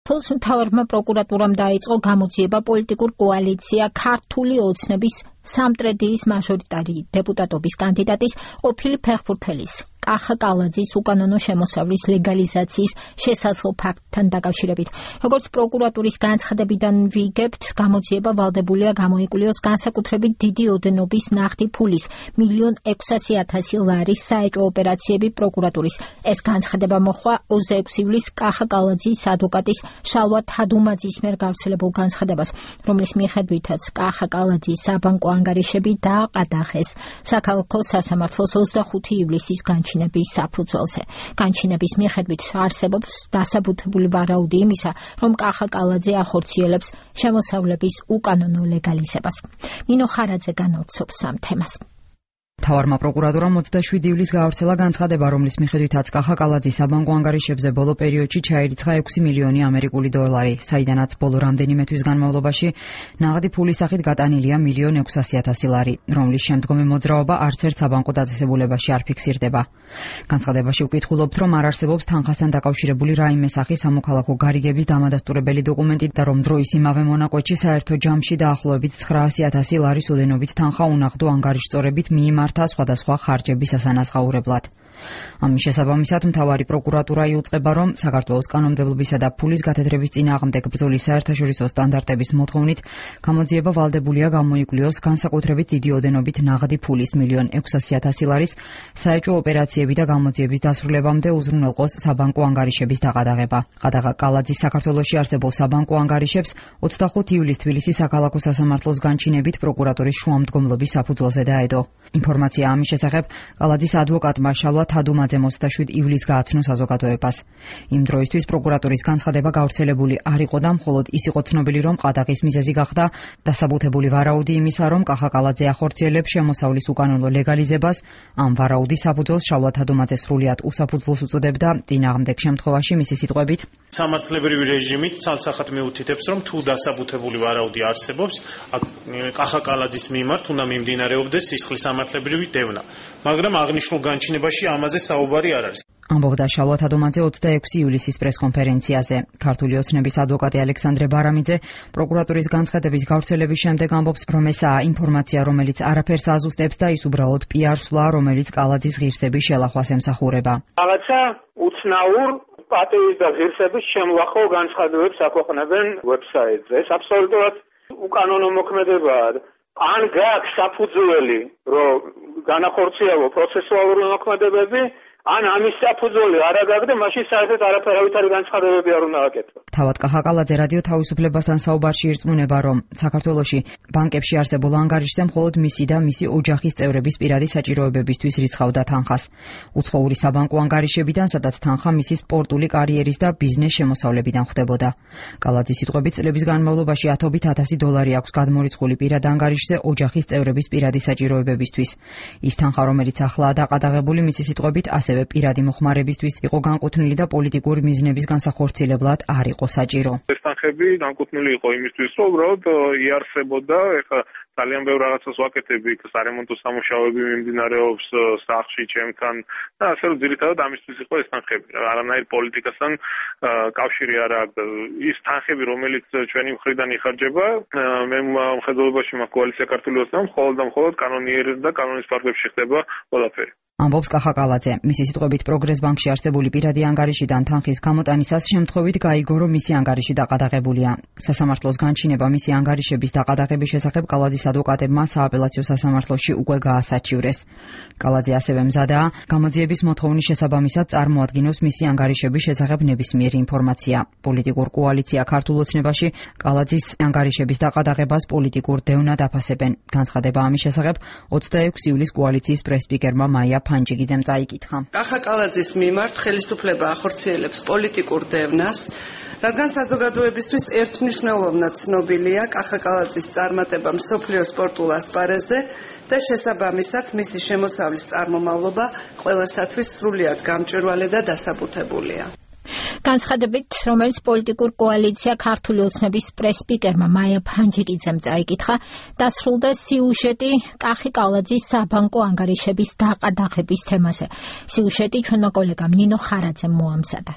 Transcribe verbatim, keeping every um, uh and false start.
თელს მთავარმა პროკურატურამ დაიწყო გამოძიება პოლიტიკურ კოალიცია ქართული ოცნების სამტრედიის მაჟორიტარი დეპუტატობის კანდიდატის ყოფილი ფეხბურთელის კახა კალაძის უკანონო შემოსავლის ლეგალიზაციის შესაძლო ფაქტთან დაკავშირებით. Როგორც პროკურატურის განცხადებიდან ვიგებთ, გამოძიება ვალდებულია გამოიკულიოს განსაკუთრებით დიდი ოდენობის ნახტი ფულის მილიონ ექვსასი ათასი ლარის საეჭვო ოპერაციები პროკურატურის. ეს განცხადება მოხდა ოცდაექვსი ივლისს კახა კალაძის ადვოკატის შალვა თადუმაძის მიერ გავრცელებულ განცხადებას, რომლის მიხედვითაც კახა კალაძის საბანკო ანგარიშები დააყადაღეს საქალაქო სასამართლოს ოცდახუთი ივლისის განჩინების საფუძველზე. განჩინების მიხედვით არსებობს დასაბუთებული ვარაუდი იმისა, რომ კახა კალაძე ახორციელებს შემოსავლების უკანონო ლეგალიზებას. ნინო ხარაძე განავრცობს ამ თემას. მთავარმა პროკურატურამ ოცდაშვიდი ივლისს გაავრცელა განცხადება, რომლის მიხედვითაც კახა კალაძის საბანკო ანგარიშებზე ბოლო პერიოდში ჩაირიცხა ექვსი მილიონი ამერიკული დოლარი, საიდანაც ბოლო რამდენიმე თვის განმავლობაში ნაღდი ფულის სახით გატანილია მილიონ ექვსასი ათასი ლარი, რომლის შემდგომი მოძრაობა არც ერთ საბანკო დაწესებულებაში არ ფიქსირდება. განცხადებაში ვკითხულობთ, რომ არ არსებობს თანხასთან დაკავშირებული რაიმე სახის სამოქალაქო გარიგების დამადასტურებელი დოკუმენტი და რომ დროის იმავე მონაკვეთში საერთო ჯამში დაახლოებით ცხრაასი ათასი ლარის ოდენობით თანხა უნაღდო ანგარიშწორებით მიიმართა სხვადასხვა ხარჯების ასანაზღაურებლად. ამის შესაბამისად მთავარი პროკურატურა იუწყება, რომ საქართველოს კანონმდებლობისა და ფულის გათეთრების წინააღმდეგ ბრძოლის საერთაშორისო სტანდარტების მოთხოვნით გამოძიება ვალდებულია გამოიკლიოს განსაკუთრებით დიდი ოდენობით ნაღდი ფულის მილიონ ექვსასი ათასი ლარის საეჭვო ოპერაციები და გამოძიების დასრულებამდე უზრუნველყოს საბანკო ანგარიშების დაყადაღება. ყადაღა კალაძის საქართველოში არსებულ საბანკო ანგარიშებს ოცდახუთი ივლისს თბილისის საქალაქო სასამართლოს განჩინებით პროკურატურის შუამდგომლობის საფუძველზე დაედო. ინფორმაცია ამის შესახებ კალაძის ადვოკატმა შალვა თადუმაძემ ოცდაშვიდი ივლისს გააცნო საზოგადოებას. იმ დროისთვის პროკურატურის განცხადება გავრცელებული არ იყო და მხოლოდ ის იყო ცნობილი, რომ ყადაღის მიზეზი გახდა დასაბუთებული ვარაუდი იმისა, რომ კახა კალაძე ახორციელებს შემოსავლის უკანონო ლეგალიზებას. ამ ვარაუდის საფუძველს შალვა თადუმაძე სრულიად უსაფუძვლოს უწოდებდა. წინააღმდეგ შემთხვევაში მისი სიტყვებით სამართლებრივი რეჟიმით ცალსახად მეუთითებს, რომ თუ დასაბუთებული ვარაუდი არსებობს, კახა კალაძის მიმართ უნდა მიმდინარეობდეს სისხლის სამართლებრივი დევნა, მაგრამ აღნიშნულ განჩინებაში ამაზე საუბარი არ არის. ამბობდა შალვა თადუმაძე ოცდაექვსი ივლისის პრესკონფერენციაზე. ქართული ოცნების ადვოკატი ალექსანდრე ბარამიძე პროკურატურის განცხადების გავრცელების შემდეგ ამბობს, რომ ესაა ინფორმაცია, რომელიც არაფერს აზუსტებს და ის უბრალოდ პიარსვლა, რომელიც კალაძის ღირსების შელახვას ემსახურება. რაღაცა უცნაურ პატევის და ღირსების შემლახო განცხადებებს აქვეყნებენ ვებსაიტზე. ეს აბსოლუტურად უკანონო მოქმედებაა. ან გააქვს საფუძველი, რომ განახორციელო პროცესუალური მოქმედებები, ან ამის საფუძველი არ აგაგ და მაშინ საერთოდ არაფერავითარი განცხადებები არ უნდა აკეთო. თავად კახა კალაძე რადიო თავისუფლებასთან საუბარში ირწმუნება, რომ საქართველოში ბანკებში არსებულ ანგარიშზე მხოლოდ მისი და მისი ოჯახის წევრების პირადი საჭიროებებისთვის რიცხავდა თანხას. უცხოური საბანკო ანგარიშებიდან, სადაც თანხა მისი სპორტული კარიერის და ბიზნეს შემოსავლებიდან ხვდებოდა. კალაძის სიტყვებით, წლების განმავლობაში ათობით ათასი დოლარი აქვს გადმორიცხული პირად ანგარიშზე ოჯახის წევრების პირადი საჭიროებებისთვის. ის თანხა, რომელიც ახლაა დაყადაღებული, მისი სიტყვებით ასევე პირადი მოხმარებისთვის იყო განკუთვნილი და პოლიტიკური მიზნების განსახორციელებლად არ იყო საჭირო. ეს თანხები განკუთვნილი იყო იმისთვის, რომ უბრალოდ იარსებოდა, ეხლა ძალიან ბევრ რაღაცას ვაკეთებ, იქ სარემონტო სამუშაოები მიმდინარეობს სახლში ჩემთან და ასე რომ ძირითადად ამისთვის იყო ეს თანხები. არანაირ პოლიტიკასთან კავშირი არ აქვს. ის თანხები, რომელიც ჩვენი მხრიდან იხარჯება, მე მხედველობაში მაქვს კოალიცია ქართული ოცნება, მხოლოდ და მხოლოდ კანონიერებს და კანონის ფარგლებში ხდება ყველაფერი. ამბობს კახა კალაძე. მისი სიტყვებით პროგრეს ბანკში არსებული პირადი ანგარიშიდან თანხის გამოტანისას შემთხვევით გაიგო, რომ მისი ანგარიში დაყადაღებულია. სასამართლოს განჩინება მისი ანგარიშების დაყადაღების შესახებ კალაძის ადვოკატებმა სააპელაციო სასამართლოში უკვე გაასაჩივრეს. კალაძე ასევე მზადაა გამოძიების მოთხოვნის შესაბამისად წარმოადგინოს მისი ანგარიშების შესახებ ნებისმიერი ინფორმაცია. პოლიტიკურ კოალიცია ქართულ ოცნებაში კალაძის ანგარიშების დაყადაღებას პოლიტიკურ დევნად აფასებენ. განცხადება ამის შესახებ ოცდაექვსი ივლისს კოალიციის პრესპიკერმა მაია ფანჯიგიძემ წაიკითხა. კახა კალაძის მიმართ ხელისუფლება ახორციელებს პოლიტიკურ დევნას, რადგან საზოგადოებისთვის ერთმნიშვნელოვნად ცნობილია კახა კალაძის წარმატება მსოფლიო სპორტულ ასპარეზზე და შესაბამისად მისი შემოსავლის წარმომავლობა ყველასათვის სრულიად გამჭვირვალე და დასაბუთებულია. განცხადებით, რომელიც პოლიტიკურ კოალიცია ქართული ოცნების პრესპიკერმა მაია ფანჯიკიძემ წაიკითხა, დასრულდა სიუჟეტი კახი კალაძის საბანკო ანგარიშების დაყადაღების თემაზე. სიუჟეტი ჩვენმა კოლეგამ ნინო ხარაძემ მოამზადა.